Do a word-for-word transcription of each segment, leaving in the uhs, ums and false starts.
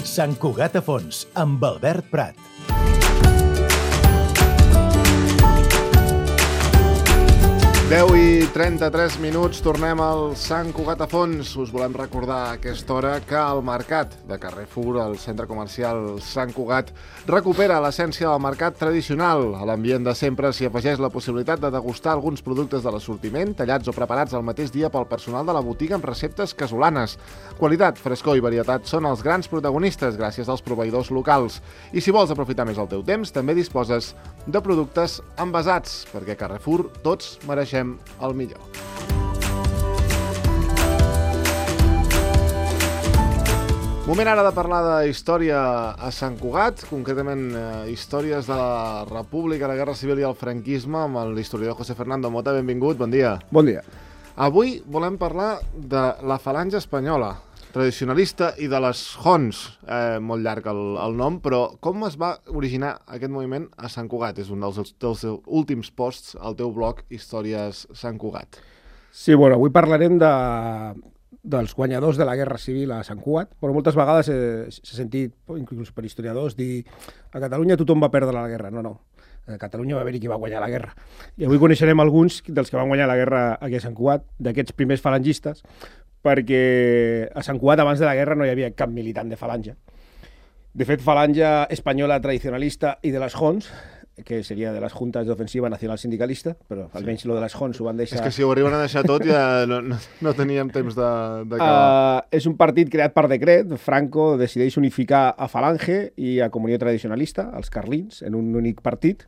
Sant Cugat a fons, amb Albert Prat. deu i trenta-tres minuts, tornem al Sant Cugat a fons. Us volem recordar a aquesta hora que el mercat de Carrefour, el centre comercial Sant Cugat, recupera l'essència del mercat tradicional. A l'ambient de sempre s'hi afegeix la possibilitat de degustar alguns productes de l'assortiment, tallats o preparats el mateix dia pel personal de la botiga amb receptes casolanes. Qualitat, frescor i varietat són els grans protagonistes gràcies als proveïdors locals. I si vols aprofitar més el teu temps, també disposes de productes envasats, perquè a Carrefour tots mereixem el millor. Moment ara de parlar de història a Sant Cugat, concretament eh, històries de la República, la Guerra Civil i el franquisme, amb l'historiador José Fernando Mota. Benvingut, bon dia. Bon dia. Avui volem parlar de la falange espanyola, tradicionalista, i de les Hons, eh, molt llarg el, el nom, però com es va originar aquest moviment a Sant Cugat? És un dels, dels últims posts al teu blog Històries Sant Cugat. Sí, bueno, avui parlarem de, dels guanyadors de la Guerra Civil a Sant Cugat, però moltes vegades s'ha sentit, inclús per historiadors, dir a Catalunya tothom va perdre la guerra. No, no. A Catalunya va haver-hi qui va guanyar la guerra. I avui coneixerem alguns dels que van guanyar la guerra aquí a Sant Cugat, d'aquests primers falangistes, perquè a Sant Cugat abans de la guerra no hi havia cap militant de falange. De fet, falange espanyola tradicionalista i de les Hons, que seria de les Juntes d'Ofensiva Nacional Sindicalista, però almenys sí. Lo de les Hons ho van deixar... És que si ho arriben a deixar tot ja no, no, no teníem temps d'acabar. Uh, és un partit creat per decret. Franco decideix unificar a Falange i a Comunió Tradicionalista, els carlins, en un únic partit,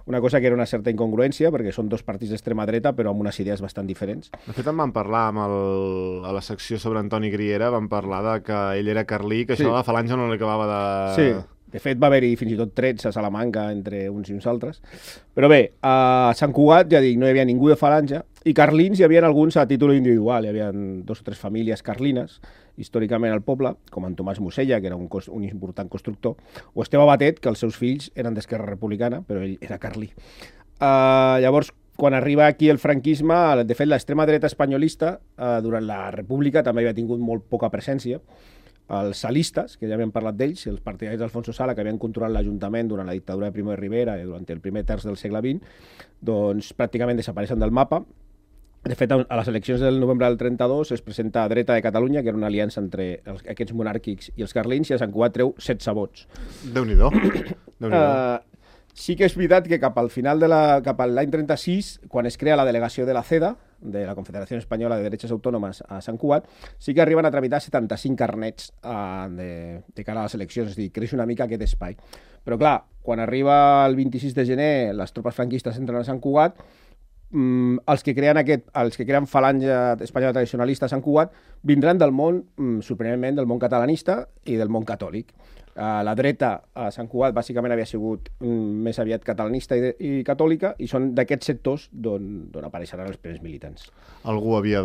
una cosa que era una certa incongruència, perquè són dos partits d'extrema dreta, però amb unes idees bastant diferents. De fet, en vam parlar amb el, a la secció sobre Antoni Griera, vam parlar de que ell era carlí, que sí. Això de la falange no li acabava de... Sí. De fet, va haver-hi fins i tot trets a Salamanca entre uns i uns altres. Però bé, a Sant Cugat, ja dic, no hi havia ningú de falange, i carlins hi havia alguns a títol individual. Hi havia dos o tres famílies carlines, històricament al poble, com en Tomàs Musella, que era un, un important constructor, o Esteve Batet, que els seus fills eren d'Esquerra Republicana, però ell era carlí. Uh, llavors, quan arriba aquí el franquisme, de fet, l'extrema dreta espanyolista, uh, durant la República, també havia tingut molt poca presència. Els salistes, que ja havíem parlat d'ells, els partidaris d'Alfonso Sala, que havien controlat l'Ajuntament durant la dictadura de Primo de Rivera i durant el primer terç del segle vint, doncs pràcticament desapareixen del mapa. De fet, a les eleccions del novembre del trenta-dos es presenta a Dreta de Catalunya, que era una aliança entre els, aquests monàrquics i els carlins, i a Sant Cugat treu setze vots. Déu-n'hi-do. Déu-n'hi-do. Uh, sí que és veritat que cap al final de la, cap a l'any trenta-sis, quan es crea la delegació de la CEDA, de la Confederació Espanyola de Derechos Autònomes a Sant Cugat, sí que arriben a tramitar setanta-cinc carnets uh, de, de cara a les eleccions, és a dir, creix una mica aquest espai. Però clar, quan arriba el vint-i-sis de gener, les tropes franquistes entren a Sant Cugat, mm, els que creen aquest, els que creen falange espanyola tradicionalista a Sant Cugat vindran del món, mm, sorprenentment, del món catalanista i del món catòlic. Uh, la dreta a Sant Cugat bàsicament havia sigut mm, més aviat catalanista i, de, i catòlica, i són d'aquests sectors d'on apareixeran els primers militants. Algú havia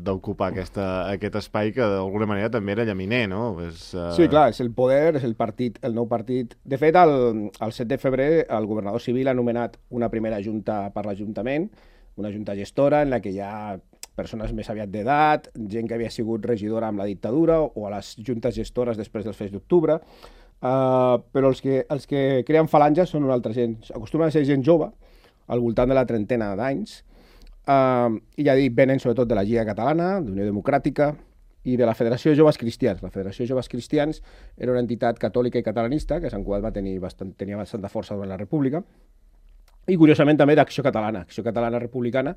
d'ocupar aquest espai que d'alguna manera també era llaminer, no? És, uh... Sí, clar, és el poder, és el partit, el nou partit. De fet, el, el set de febrer el governador civil ha nomenat una primera junta per l'Ajuntament, una junta gestora en la que hi ha persones més aviat d'edat, gent que havia sigut regidora amb la dictadura o a les juntes gestores després dels fets d'octubre, uh, però els que, els que creen falanges són una altra gent. Acostumen a ser gent jove, al voltant de la trentena d'anys, uh, i ja dic, venen sobretot de la Lliga Catalana, d'Unió Democràtica i de la Federació de Joves Cristians. La Federació de Joves Cristians era una entitat catòlica i catalanista que a Sant Cugat va tenir bastant, tenia bastanta força durant la República, i curiosament també d'Acció Catalana. Acció Catalana Republicana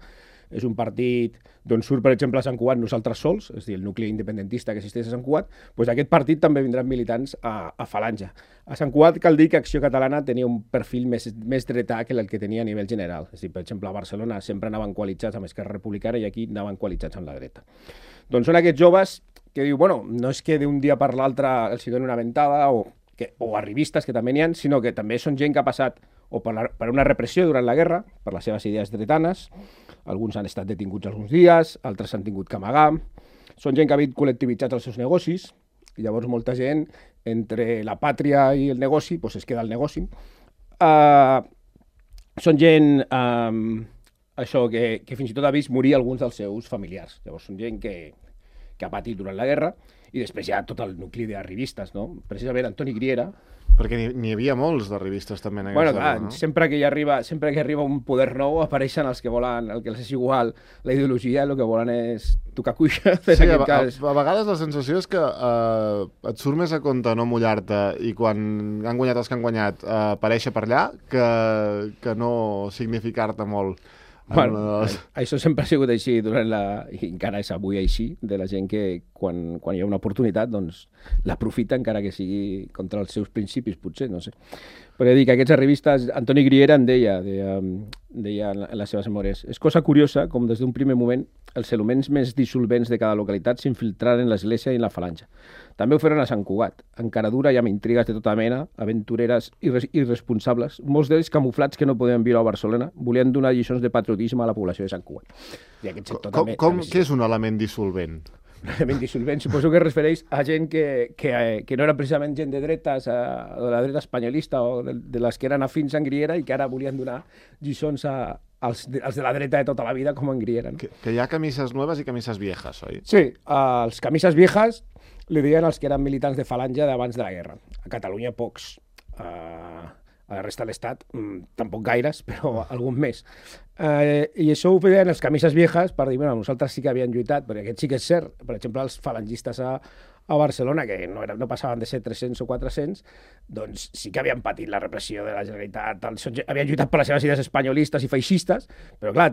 és un partit d'on surt, per exemple, a Sant Cugat Nosaltres Sols, és a dir, el nucli independentista que existeix a Sant Cugat, doncs aquest partit també vindran militants a, a Falange. A Sant Cugat cal dir que Acció Catalana tenia un perfil més, més dretà que el que tenia a nivell general. És a dir, per exemple, a Barcelona sempre anaven coalitzats amb Esquerra Republicana i aquí anaven coalitzats amb la dreta. Doncs són aquests joves que diu, bueno, no és que d'un dia per l'altre els hi doni una ventada o, que, o arribistes, que també n'hi ha, sinó que també són gent que ha passat o per, la, per una repressió durant la guerra, per les seves idees dretanes. Alguns han estat detinguts alguns dies, altres s'han tingut que amagar. Són gent que ha vist col·lectivitzats els seus negocis, i llavors molta gent, entre la pàtria i el negoci, doncs es queda al negoci. Uh, són gent, um, això, que, que fins i tot ha vist morir alguns dels seus familiars. Llavors són gent que, que ha patit durant la guerra, i després hi ha tot el nucli d'arrivistes, no? Precisament Antoni Griera. Perquè n'hi havia molts de revistes també en aquesta bueno, clar, època, no? Sempre que hi arriba, sempre que arriba un poder nou apareixen els que volen, el que els és igual la ideologia, el que volen és tocar cuixa. Sí, a, a, a vegades la sensació és que uh, et surt més a compte no mullar-te i quan han guanyat els que han guanyat uh, aparèixer per allà que, que no significar-te molt. Bueno, les... Això sempre ha sigut així durant la... i encara és avui així, de la gent que quan, quan hi ha una oportunitat doncs l'aprofita encara que sigui contra els seus principis, potser, no sé. Perquè dic, aquests revistes, Antoni Griera en deia, deia, deia en les seves memòries, és cosa curiosa com des d'un primer moment els elements més dissolvents de cada localitat s'infiltraren en l'església i en la falange. També ho feren a Sant Cugat, encara dura i amb intrigues de tota mena, aventureres irres irresponsables, molts d'ells camuflats que no podien viure a Barcelona, volien donar lliçons de patriotisme a la població de Sant Cugat. I aquest sector com, també, com, també què és un element dissolvent? Un element dissolvent, suposo que es refereix a gent que, que, que no era precisament gent de dretes, o de la dreta espanyolista, o de, de les que eren afins en Griera i que ara volien donar lliçons a, als, de, als de la dreta de tota la vida, com en Griera. No? Que, que hi ha camises noves i camises viejas, oi? Sí, uh, els camises viejas li deien els que eren militants de falange d'abans de la guerra. A Catalunya pocs. Uh, a la resta de l'Estat mmm, tampoc gaires, però algun més. Uh, I això ho feien els camises viejas per dir, bueno, nosaltres sí que havien lluitat, perquè aquest sí que és cert. Per exemple, els falangistes a, a Barcelona, que no, era, no passaven de ser tres-cents o quatre-cents, doncs sí que havien patit la repressió de la Generalitat, els, havien lluitat per les seves idees espanyolistes i feixistes, però clar,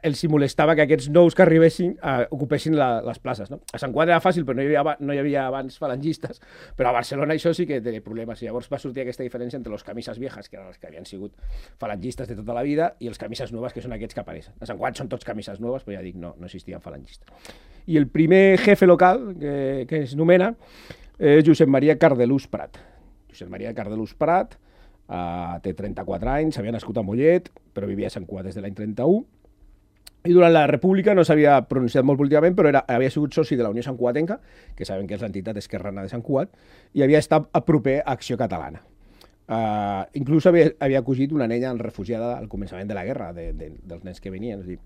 els hi molestava que aquests nous que arribessin uh, ocupessin la, les places. No? A Sant Cugat era fàcil, però no hi, havia, no hi havia abans falangistes, però a Barcelona això sí que té problemes. I llavors va sortir aquesta diferència entre les camises viejas, que eren els que havien sigut falangistes de tota la vida, i els camises noves, que són aquests que apareixen. A Sant Cugat són tots camises noves, però ja dic, no, no existien falangistes. I el primer jefe local que, que es nomena és Josep Maria Cardelús Prat. Josep Maria Cardelús Prat uh, té trenta-quatre anys, havia nascut a Mollet, però vivia a Sant Cugat des de l'any trenta-u, i durant la República no s'havia pronunciat molt políticament, però era, havia sigut soci de la Unió Santcugatenca, que sabem que és l'entitat esquerrana de Sant Cugat, i havia estat a proper a Acció Catalana. Uh, inclús havia, havia acogit una nena refugiada al començament de la guerra, de, de, dels nens que venien. És dir,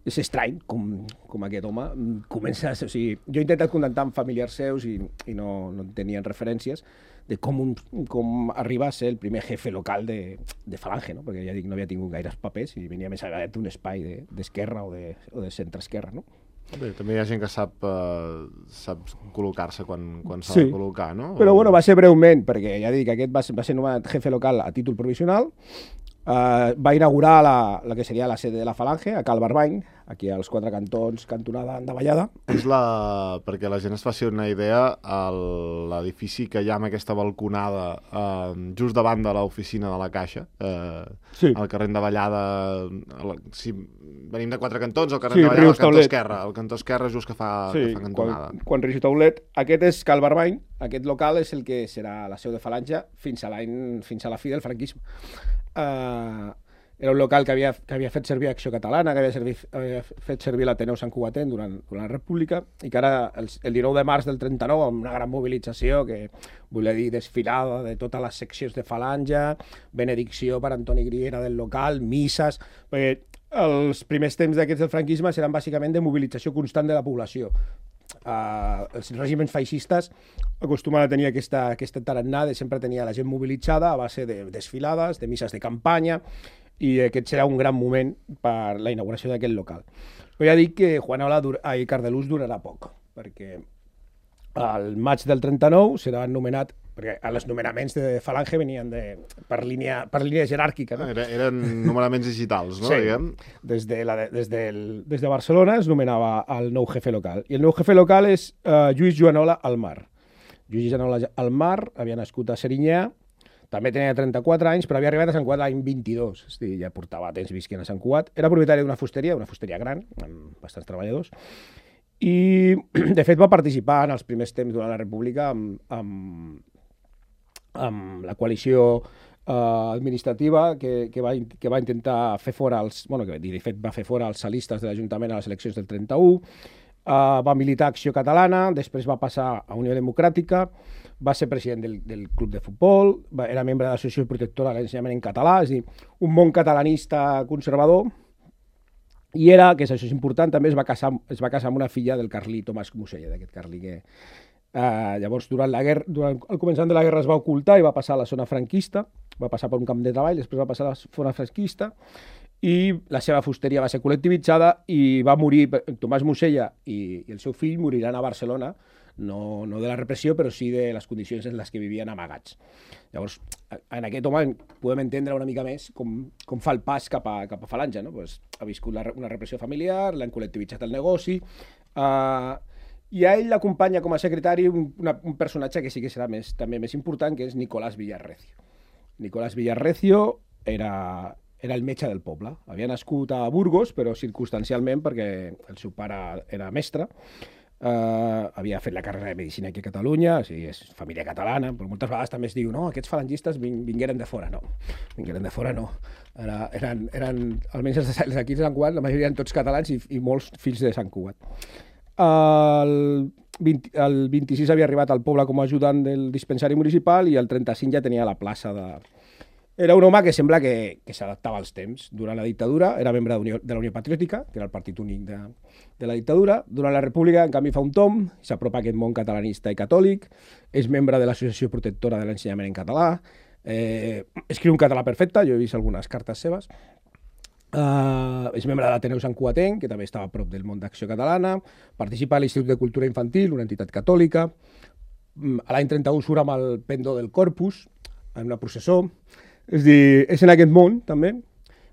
és estrany com, com aquest home comença... O sigui, jo he intentat contactar amb familiars seus i, i no, no tenien referències de com, un, com arriba a ser el primer jefe local de, de Falange, no? Perquè ja dic, no havia tingut gaires papers i venia més aviat d'un espai d'esquerra de, o, de, o de centre-esquerra, no? Bé, també hi ha gent que sap, uh, sap col·locar-se quan, quan s'ha sí, de col·locar, no? Però bueno, va ser breument, perquè ja dic, aquest va ser, va ser nomenat jefe local a títol provisional. Uh, va inaugurar la, la que seria la sede de la Falange, a Cal Barbany, aquí als quatre cantons, cantonada Andavallada. És la... perquè la gent es faci una idea, l'edifici que hi ha amb aquesta balconada uh, just davant de l'oficina de la Caixa, uh, sí. al carrer Andavallada, si venim de quatre cantons, al carrer sí, Andavallada, al cantó Taulet. esquerre, el cantó esquerre just que fa, sí, que fa cantonada. Quan, quan Rius Taulet, aquest és Cal Barbany, aquest local és el que serà la seu de Falange fins a, fins a la fi del franquisme. Uh, era un local que havia, que havia fet servir Acció Catalana, que havia, servir, havia fet servir l'Ateneu Santcugatenc durant, durant la República, i que ara, el, el dinou de març del trenta-nou, amb una gran mobilització, que volia dir desfilada de totes les seccions de Falange, benedicció per Antoni Griera del local, misses... Perquè els primers temps d'aquests del franquisme eren bàsicament de mobilització constant de la població. Uh, els règims feixistes acostumen a tenir aquesta, aquesta tarannà de sempre tenir la gent mobilitzada a base de desfilades, de misses de campanya, i aquest serà un gran moment per la inauguració d'aquest local. Però ja dic que Juanola i Cardelús durarà poc, perquè al maig del trenta-nou serà nomenat, perquè els nomenaments de Falange venien de, per, línia, per línia jeràrquica. No? Era, eren nomenaments digitals, no? Sí, diguem? des de, la, des, del, des de Barcelona es nomenava el nou jefe local. I el nou jefe local és uh, Lluís Joanola Almar. Lluís Joanola Almar havia nascut a Serinyà, també tenia trenta-quatre anys, però havia arribat a Sant Cugat l'any vint-i-dos, és a dir, ja portava temps visquent a Sant Cugat. Era propietari d'una fusteria, una fusteria gran, amb bastants treballadors, i de fet va participar en els primers temps durant la República amb, amb, amb la coalició eh, administrativa que, que, va, que va intentar fer fora els, bueno, que de fet va fer fora els salistes de l'Ajuntament a les eleccions del trenta-u, eh, va militar a Acció Catalana, després va passar a Unió Democràtica, va ser president del, del club de futbol, va, era membre de l'Associació Protectora de l'Ensenyament en Català, és a dir, un món catalanista conservador, I era, que això és important, també es va casar, es va casar amb una filla del carlí Tomàs Musella, d'aquest carlí que... Uh, llavors, durant la guerra, durant el començament de la guerra es va ocultar i va passar a la zona franquista, va passar per un camp de treball, després va passar a la zona franquista, i la seva fusteria va ser col·lectivitzada i va morir, Tomàs Musella i, i el seu fill moriran a Barcelona, no, no de la repressió, però sí de les condicions en les que vivien amagats. Llavors, en aquest home podem entendre una mica més com, com fa el pas cap a, cap a Falange, no? Pues, ha viscut la, una repressió familiar, l'han col·lectivitzat el negoci, uh, i a ell l'acompanya com a secretari un, una, un personatge que sí que serà més, també més important, que és Nicolás Villarrecio. Nicolás Villarrecio era, era el metge del poble. Havia nascut a Burgos, però circumstancialment, perquè el seu pare era mestre. Uh, havia fet la carrera de Medicina aquí a Catalunya, o sigui, és família catalana, però moltes vegades també es diu, no, aquests falangistes vin vingueren de fora. No, vingueren de fora no. Era, eren, eren, almenys els d'aquí de Sant Cugat, la majoria eren tots catalans i, i molts fills de Sant Cugat. El, vint, el vint-i-sis havia arribat al poble com a ajudant del dispensari municipal i el trenta-cinc ja tenia la plaça de... Era un home que sembla que, que s'adaptava als temps. Durant la dictadura era membre de, de la Unió Patriòtica, que era el partit únic de, de la dictadura. Durant la República, en canvi, fa un tom, s'apropa a aquest món catalanista i catòlic, és membre de l'Associació Protectora de l'Ensenyament en Català, eh, escriu un català perfecte, jo he vist algunes cartes seves, Uh, és membre de l'Ateneu Sant Cugatenc, que també estava a prop del món d'Acció Catalana, participa a l'Institut de Cultura Infantil, una entitat catòlica, a l'any trenta-u surt amb el pendó del Corpus, en una processó, és dir, és en aquest món també,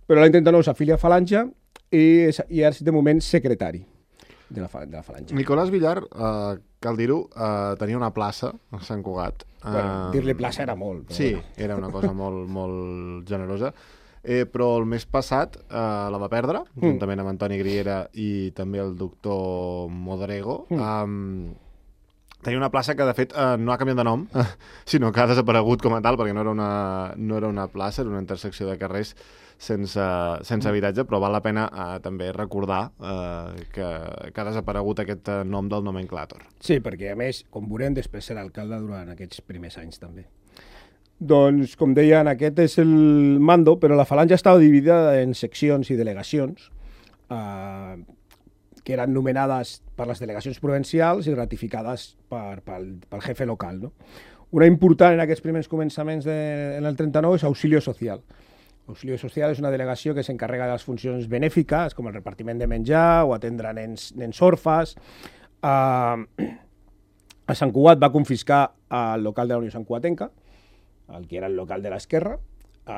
però l'any trenta-nou s'afilia a Falange i, és, i és de moment secretari de la, de la Falange. Nicolás Villar, uh, cal dir-ho, uh, tenia una plaça a Sant Cugat. Uh, Bueno, dir-li plaça era molt. Però... Sí, era una cosa molt, molt generosa. Eh, però el mes passat eh, la va perdre, mm. juntament amb Antoni Griera i també el doctor Modrego. Mm. Um, tenia una plaça que, de fet, eh, no ha canviat de nom, sinó que ha desaparegut com a tal, perquè no era una, no era una plaça, era una intersecció de carrers sense, sense habitatge, però val la pena eh, també recordar eh, que, que ha desaparegut aquest eh, nom del nomenclàtor. Sí, perquè, a més, com veurem, després serà alcalde durant aquests primers anys també. Doncs, com deien, aquest és el mando, però la Falange estava dividida en seccions i delegacions, eh, que eren nomenades per les delegacions provincials i ratificades per, pel, pel jefe local. No? Una important en aquests primers començaments de, en el trenta-nou és Auxilio Social. Auxilio Social és una delegació que s'encarrega de les funcions benèfiques, com el repartiment de menjar o atendre nens, nens orfes. Eh, a Sant Cugat va confiscar el local de la Unió Sant Cugatenca, el que era el local de l'esquerra,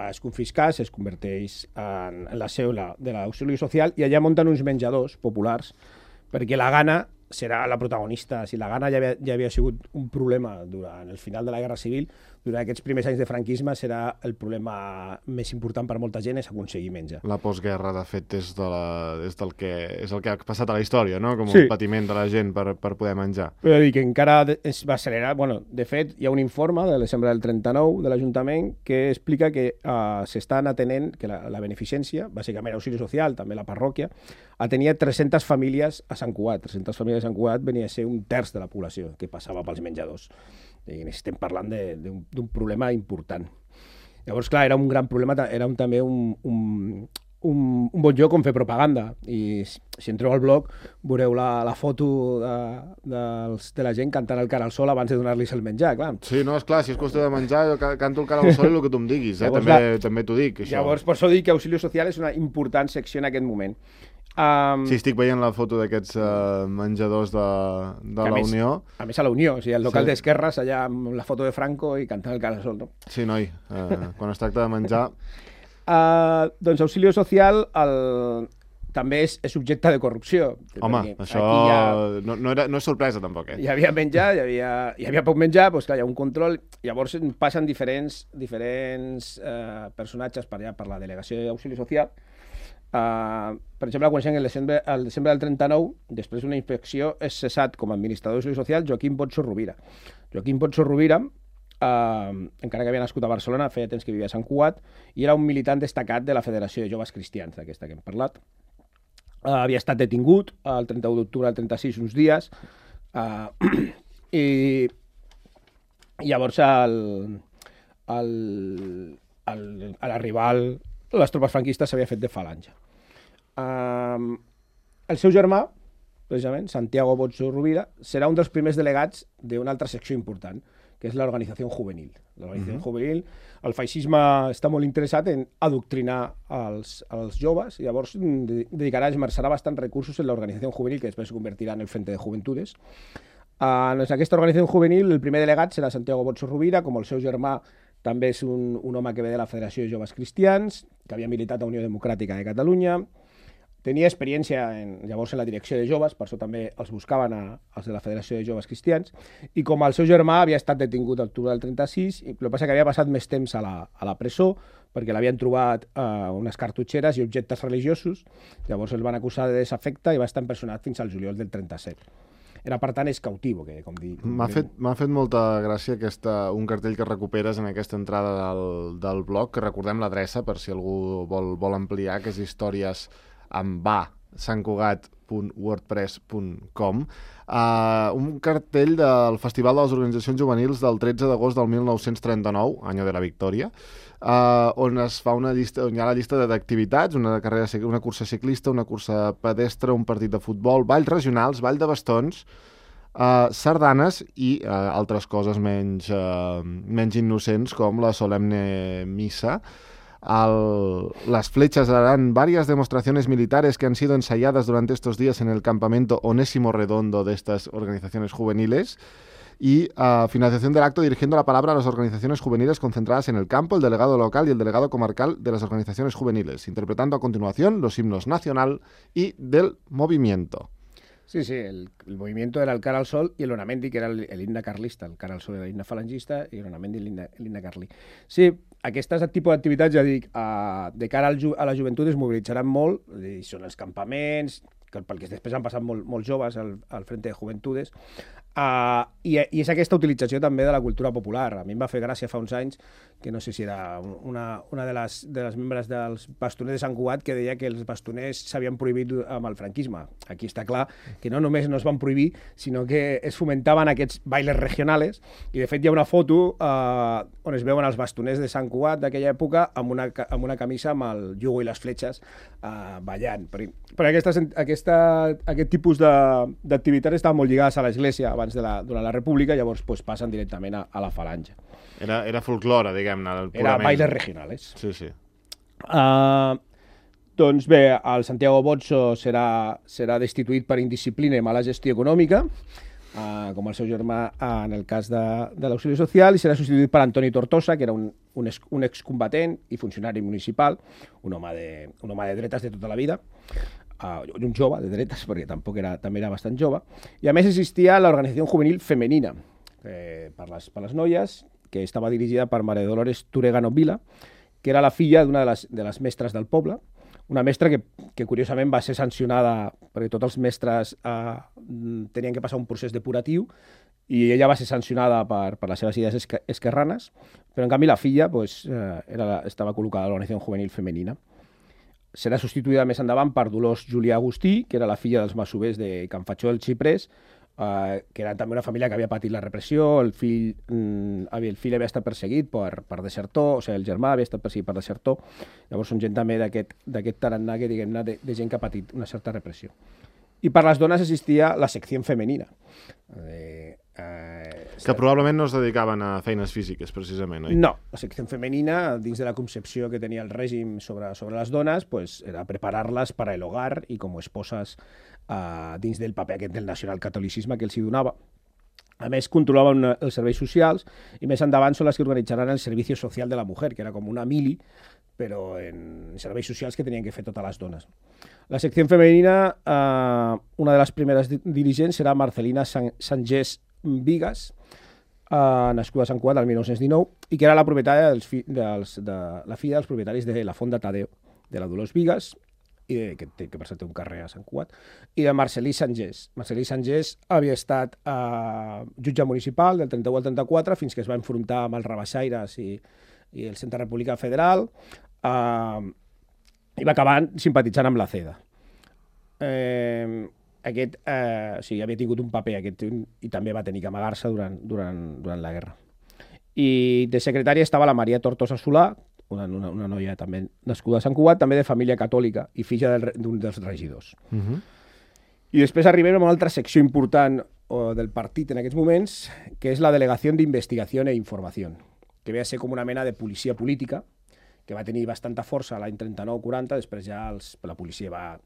es confisca, es converteix en, en la seu de l'Auxili Social i allà munten uns menjadors populars perquè la gana serà la protagonista. Si la gana ja havia, ja havia sigut un problema durant el final de la Guerra Civil, durant aquests primers anys de franquisme serà el problema més important per molta gent, és aconseguir menjar. La postguerra, de fet, és, de la, és, del que, és el que ha passat a la història, no? Com sí. un patiment de la gent per, per poder menjar. Però dir que encara es va accelerar. Bueno, de fet, hi ha un informe de desembre del trenta-nou de l'Ajuntament que explica que uh, s'estan atenent, que la, la beneficència, bàsicament Auxili Social, també la parròquia, atenia tres-centes famílies a Sant Cugat. tres-centes famílies a Sant Cugat venia a ser un terç de la població que passava pels menjadors. I estem parlant d'un problema important. Llavors, clar, era un gran problema, era un, també un, un, un, un bon lloc on fer propaganda. I si entreu al blog veureu la, la foto de, de, de la gent cantant el cara al sol abans de donar-los el menjar, clar. Sí, no, és clar, si és qüestió de menjar, jo canto el cara al sol i el que tu em diguis, eh? Llavors, també, també t'ho dic, això. Llavors, per això dic que Auxilio Social és una important secció en aquest moment. Um, sí, estic veient la foto d'aquests uh, menjadors de, de la més, Unió. A més a la Unió, o sigui, el local sí. d'esquerres, allà amb la foto de Franco i cantant el cara al sol, no? Sí, noi, uh, quan es tracta de menjar... Uh, doncs Auxilio Social el... també és, és objecte de corrupció. Home, això ha... no, no, era, no és sorpresa, tampoc, eh? Hi havia menjar, hi havia, hi havia poc menjar, doncs clar, hi ha un control, llavors passen diferents, diferents uh, personatges per allà, per la delegació d'Auxili Social. Uh, per exemple, quan el desembre, el desembre del trenta-nou, després d'una inspecció, és cessat com a administrador d'Auxili Social Joaquim Botso Rovira. Joaquim Botso Rovira, uh, encara que havia nascut a Barcelona, feia temps que vivia a Sant Cugat, i era un militant destacat de la Federació de Joves Cristians, d'aquesta que hem parlat. Uh, havia estat detingut el trenta-u d'octubre del trenta-sis uns dies, uh, i, i llavors el, el, el, a l'arribar les tropes franquistes s'havia fet de Falange. Uh, el seu germà, precisament, Santiago Botso Rovira, serà un dels primers delegats d'una altra secció important, que és l'organització juvenil. L'organització uh-huh. juvenil, el feixisme està molt interessat en adoctrinar els, els joves, i llavors dedicarà, esmerçarà bastants recursos en l'organització juvenil, que després es convertirà en el Frente de Juventudes. Uh, en aquesta organització juvenil, el primer delegat serà Santiago Botso Rovira, com el seu germà també és un, un home que ve de la Federació de Joves Cristians, que havia militat a Unió Democràtica de Catalunya. Tenia experiència en, llavors en la direcció de joves, per això també els buscaven a, els de la Federació de Joves Cristians, i com el seu germà havia estat detingut a l'octubre del trenta-sis, i el que passa que havia passat més temps a la, a la presó, perquè l'havien trobat eh, unes cartutxeres i objectes religiosos, llavors el van acusar de desafecte i va estar empresonat fins al juliol del trenta-set. Era, per tant, és cautivo, que com dic. M'ha fet, m'ha fet molta gràcia aquesta, un cartell que recuperes en aquesta entrada del, del blog, que recordem l'adreça per si algú vol, vol ampliar, que és històries amb va, santcugat punt wordpress punt com, uh, un cartell del Festival de les Organitzacions Juvenils del tretze d'agost del mil nou-cents trenta-nou, any de la victòria, uh, on es fa una llista, on hi ha la llista d'activitats, una carrera, una cursa ciclista, una cursa pedestre, un partit de futbol, balls regionals, ball de bastons, uh, sardanes i uh, altres coses menys, uh, menys innocents, com la solemne missa. Al, las flechas harán varias demostraciones militares que han sido ensayadas durante estos días en el campamento Onésimo Redondo de estas organizaciones juveniles. Y a uh, finalización del acto, dirigiendo la palabra a las organizaciones juveniles concentradas en el campo, el delegado local y el delegado comarcal de las organizaciones juveniles, interpretando a continuación los himnos nacional y del movimiento. Sí, sí, el, el movimiento era el cara al sol i l'Onamendi, que era el, el himne carlista. El cara al sol era l'himne falangista i l'Onamendi l'himne carlí. Sí, aquestes tipus d'activitats, ja dic, a, de cara al ju, a la joventut es mobilitzaran molt, i són els campaments, que pel que després han passat molt, molts joves al, al Frente de Juventudes, uh, i, i és aquesta utilització també de la cultura popular. A mi em va fer gràcia fa uns anys, que no sé si era una, una de, les, de les membres dels bastoners de Sant Cugat, que deia que els bastoners s'havien prohibit amb el franquisme. Aquí està clar que no només no es van prohibir, sinó que es fomentaven aquests bailes regionals, i de fet hi ha una foto uh, on es veuen els bastoners de Sant Cugat d'aquella època amb una, amb una camisa amb el jugo i les fletxes uh, ballant. Perquè, perquè aquestes, aquesta, aquest tipus d'activitats estaven molt lligades a l'Església abans de la, durant la República, llavors pues, passen directament a, a la falange. Era, era folclore, diguem-ne. Era bailes regionals. Sí, sí. Uh, doncs bé, el Santiago Botso serà, serà destituït per indisciplina i mala gestió econòmica, uh, com el seu germà uh, en el cas de, de l'auxili social, i serà substituït per Antoni Tortosa, que era un, un, ex, un excombatent i funcionari municipal, un home de, un home de dretes de tota la vida, uh, un jove de dretes, perquè tampoc era, també era bastant jove, i a més existia l'organització juvenil femenina, eh, per, les, per les noies, que estava dirigida per Maria Dolores Turegano Vila, que era la filla d'una de, les, de les mestres del poble, una mestra que, que curiosament va ser sancionada perquè tots els mestres eh, tenien que passar un procés depuratiu, i ella va ser sancionada per, per les seves idees esque, esquerranes, però en canvi la filla pues, eh, era la, estava col·locada a l'organització juvenil femenina. Serà substituïda més endavant per Dolors Julià Agustí, que era la filla dels masovers de Can Fatxó del Xiprés, Uh, que era també una família que havia patit la repressió, el fill, mm, el fill havia estat perseguit per, per desertor, o sigui, el germà havia estat perseguit per desertor, llavors són gent també d'aquest tarannà que, diguem-ne, de, de gent que ha patit una certa repressió. I per les dones existia la secció femenina. Eh, eh, que probablement no es dedicaven a feines físiques, precisament, oi? No, la secció femenina, dins de la concepció que tenia el règim sobre, sobre les dones, pues, era preparar-les per a el hogar i com esposes Uh, dins del paper aquest del nacionalcatolicisme que els hi donava. A més, controlaven els serveis socials i més endavant són les que organitzaran el Servicio Social de la Mujer, que era com una mili, però en serveis socials que tenien que fer totes les dones. La secció femenina, uh, una de les primeres dirigents serà Marcelina San Sangés Vigas, uh, nascuda a Sant Cugat el mil nou-cents dinou, i que era la propietària dels fi dels, de, la filla dels propietaris de la Font de Tadeo, de la Dolors Vigas, i de, que, té, que per cert té un carrer a Sant Cugat, i de Marcelí Sangés. Marcelí Sangés havia estat eh, jutge municipal del trenta-u al trenta-quatre fins que es va enfrontar amb els rebaixaires i, i el Centre Republicà Federal, eh, i va acabar simpatitzant amb la CEDA. Eh, aquest, eh, o sigui, havia tingut un paper aquest, i també va tenir que amagar-se durant, durant, durant la guerra. I de secretària estava la Maria Tortosa Solà, una, una, una noia també nascuda a Sant Cugat, també de família catòlica i filla d'un dels regidors. Uh -huh. I després arribem a una altra secció important o, del partit en aquests moments, que és la Delegació d'Investigació e Informació, que ve a ser com una mena de policia política, que va tenir bastanta força l'any trenta-nou quaranta, després ja els, la policia va...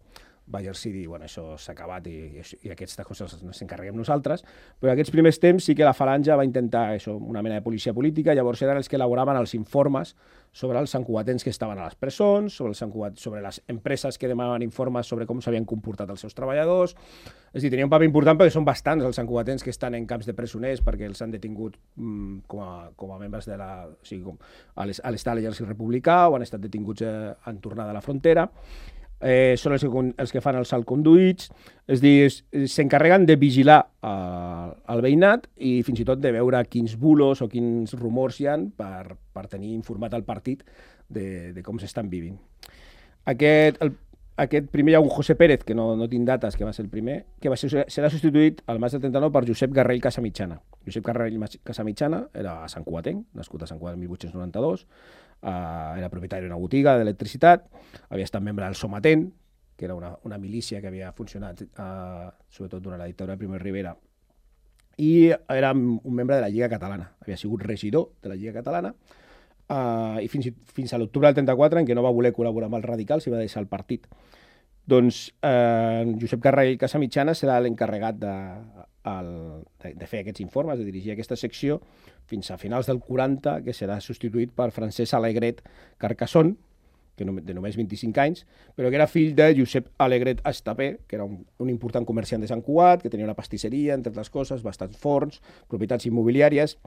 va exercir dir, bueno, això s'ha acabat i, i aquestes coses ens encarreguem nosaltres, però en aquests primers temps sí que la Falange va intentar això, una mena de policia política, llavors eren els que elaboraven els informes sobre els santcugatens que estaven a les presons, sobre, el sobre les empreses que demanaven informes sobre com s'havien comportat els seus treballadors. És a dir, tenia un paper important perquè són bastants els santcugatens que estan en camps de presoners perquè els han detingut mm, com, a, com a membres de la... O sigui, com a l'estat l'exèrcit republicà o han estat detinguts eh, en tornada a la frontera. Eh, són els que, els que fan els salconduïts, és a dir, s'encarreguen de vigilar eh, el veïnat i fins i tot de veure quins bulos o quins rumors hi ha per, per tenir informat el partit de, de com s'estan vivint. Aquest, el, aquest primer hi ha un José Pérez, que no, no tinc dates, que va ser el primer, que va ser, serà substituït al maig del trenta-nou per Josep Garrell Casamitjana. Josep Garrell Casamitjana era santcugatenc, nascut a Sant Cugat el mil vuit-cents noranta-dos, Uh, era propietari d'una botiga d'electricitat, havia estat membre del Somatent, que era una, una milícia que havia funcionat uh, sobretot durant la dictadura de Primo de Rivera, i era un membre de la Lliga Catalana, havia sigut regidor de la Lliga Catalana, uh, i fins, fins a l'octubre del trenta-quatre, en què no va voler col·laborar amb els radicals i va deixar el partit. Doncs eh, Josep Garrell Casamitjana serà l'encarregat de, de, de fer aquests informes, de dirigir aquesta secció, fins a finals del quaranta, que serà substituït per Francesc Alegret Carcassón, que no, de només vint-i-cinc anys, però que era fill de Josep Alegret Estapé, que era un, un important comerciant de Sant Cugat, que tenia una pastisseria, entre altres coses, bastants forns, propietats immobiliàries,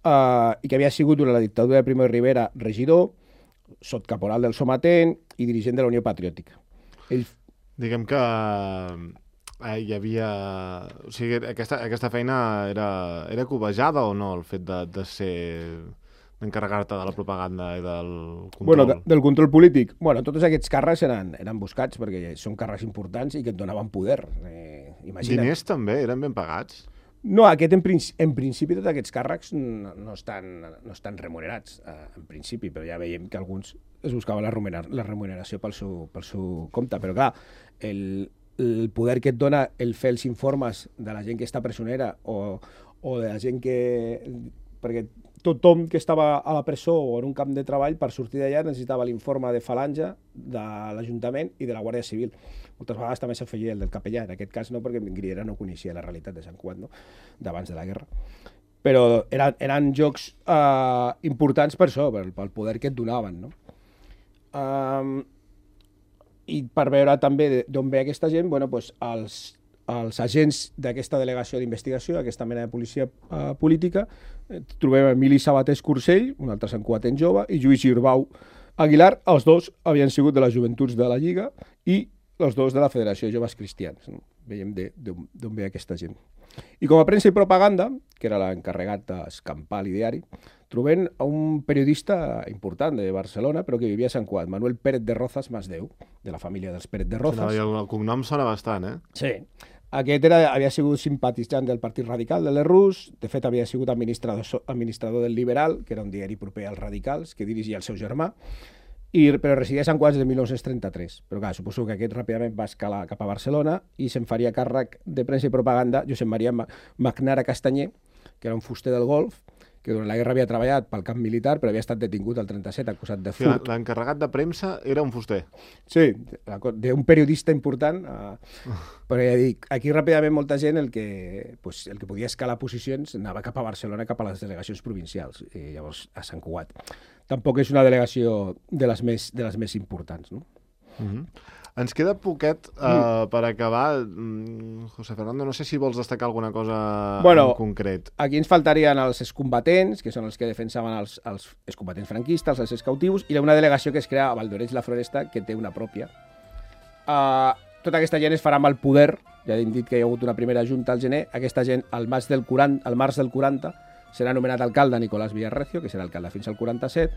eh, i que havia sigut durant la dictadura de Primo de Rivera regidor, sotcaporal del Somatent i dirigent de la Unió Patriòtica. Ell... Diguem que eh, hi havia... O sigui, aquesta, aquesta feina era, era cobejada o no, el fet de, de ser... d'encarregar-te de la propaganda i del control? Bueno, de, del control polític. Bueno, tots aquests càrrecs eren, eren buscats perquè són càrrecs importants i que et donaven poder. Eh, imagina't. Diners també? Eren ben pagats? No, aquest en, principi, en principi tots aquests càrrecs no, no, estan, no estan remunerats, eh, en principi, però ja veiem que alguns es buscaven la, remuner, la remuneració pel seu, pel seu compte. Però clar, el, el poder que et dona el fer els informes de la gent que està presonera o, o de la gent que... perquè tothom que estava a la presó o en un camp de treball, per sortir d'allà necessitava l'informe de Falange, de l'Ajuntament i de la Guàrdia Civil. Moltes vegades també s'afegia el del capellà, en aquest cas no, perquè Griera no coneixia la realitat de Sant Cugat, no? D'abans de la guerra. Però eren, eren jocs eh, importants per això, pel, pel poder que et donaven, no? Um, I per veure també d'on ve aquesta gent, bueno, doncs els, els agents d'aquesta delegació d'investigació, aquesta mena de policia uh, política, eh, trobem Emili Sabatés Cursell, un altre santcugatenc jove, i Lluís Girbau Aguilar. Els dos havien sigut de les joventuts de la Lliga i els dos de la Federació de Joves Cristians. No? Veiem d'on ve aquesta gent. I com a premsa i propaganda, que era l'encarregat d'escampar l'ideari, trobem un periodista important de Barcelona, però que vivia a Sant Cugat, Manuel Pérez de Rozas Masdeu, de la família dels Pérez de Rozas. Sí, el cognom sona bastant, eh? Sí. Aquest era, havia sigut simpatitzant del Partit Radical de l'E R U S, de fet havia sigut administrador, administrador del Liberal, que era un diari proper als radicals, que dirigia el seu germà, i, però residia a Sant Cugat des de mil nou-cents trenta-tres. Però clar, suposo que aquest ràpidament va escalar cap a Barcelona i se'n faria càrrec de premsa i propaganda Josep Maria Magnara Castanyer, que era un fuster del Golf, que durant la guerra havia treballat pel camp militar, però havia estat detingut el trenta-set acusat de furt. Sí, l'encarregat de premsa era un fuster. Sí, d'un periodista important. Uh, però ja dic, aquí ràpidament molta gent el que, pues, el que podia escalar posicions anava cap a Barcelona, cap a les delegacions provincials, i llavors a Sant Cugat. Tampoc és una delegació de les més, de les més importants, no? Uh-huh. Ens queda poquet uh, mm. per acabar. Mm, José Fernando, no sé si vols destacar alguna cosa bueno, en concret. Aquí ens faltarien els excombatents, que són els que defensaven els, els excombatents franquistes, els excautius, i una delegació que es crea a Valldoreix la Floresta, que té una pròpia. Uh, tota aquesta gent es farà amb el poder, ja hem dit que hi ha hagut una primera junta al gener, aquesta gent al març del quaranta, al març del quaranta serà anomenat alcalde Nicolás Villarrecio, que serà alcalde fins al quaranta-set,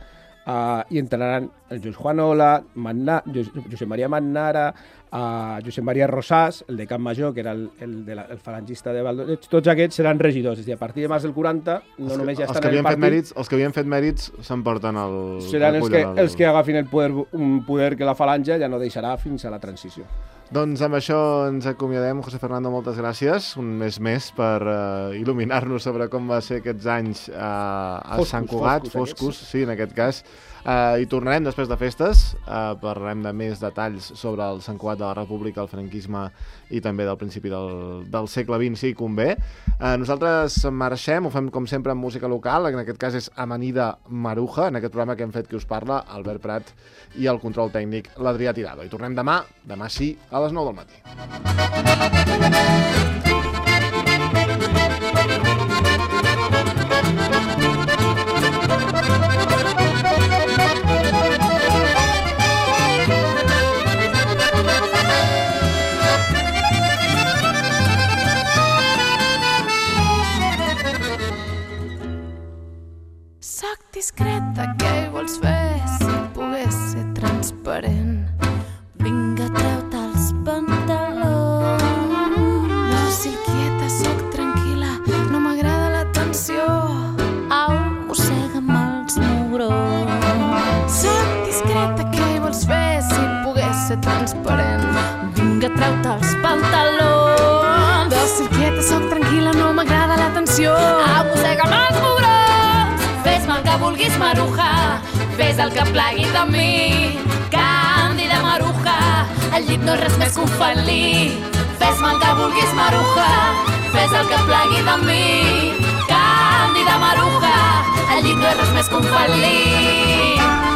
Uh, i entrenaran el Josep Juanola, Manna, Josep Maria Mannara, uh, Josep Maria Rosàs, el de Camp Major, que era el, el, de la, el falangista de Valldoreix. Tots aquests seran regidors, és a dir, a partir de març del quaranta no els que, només ja estan els que en el partit. Mèrits, els que havien fet mèrits s'emporten el... Seran els que, el... els que agafin el poder, un poder que la falange ja no deixarà fins a la transició. Doncs amb això ens acomiadem. José Fernando, moltes gràcies. Un mes més per uh, il·luminar-nos sobre com va ser aquests anys uh, a Foscos, Sant Cugat, foscos, foscos, sí, en aquest cas. Uh, I tornarem després de festes, uh, parlarem de més detalls sobre el Sant Cugat de la República, el franquisme i també del principi del, del segle vint, si convé. Uh, nosaltres marxem, ho fem com sempre amb música local, en aquest cas és Amanida Maruja, en aquest programa que hem fet qui us parla, Albert Prat, i el control tècnic, l'Adrià Tirado. I tornem demà, demà sí, a les nou del matí. Soc discreta, què hi vols fer? Si pogués ser transparent, vinga, treu-te els pantalons. Dòcil, quieta, soc tranquil·la, no m'agrada l'atenció. Au, mossega'm els mugrons. Soc discreta, què hi vols fer? Si pogués ser transparent, vinga, treu-te els pantalons. Dòcil, quieta, soc tranquil·la, no m'agrada l'atenció. Au, mossega'm els mugrons. Fes-me el que vulguis, Maruja, fes el que plagui de mi. Càndida Maruja, el llit no és res més que un felí. Fes-me el que vulguis, Maruja, fes el que plagui de mi. Càndida Maruja, el llit no és res més que un felí.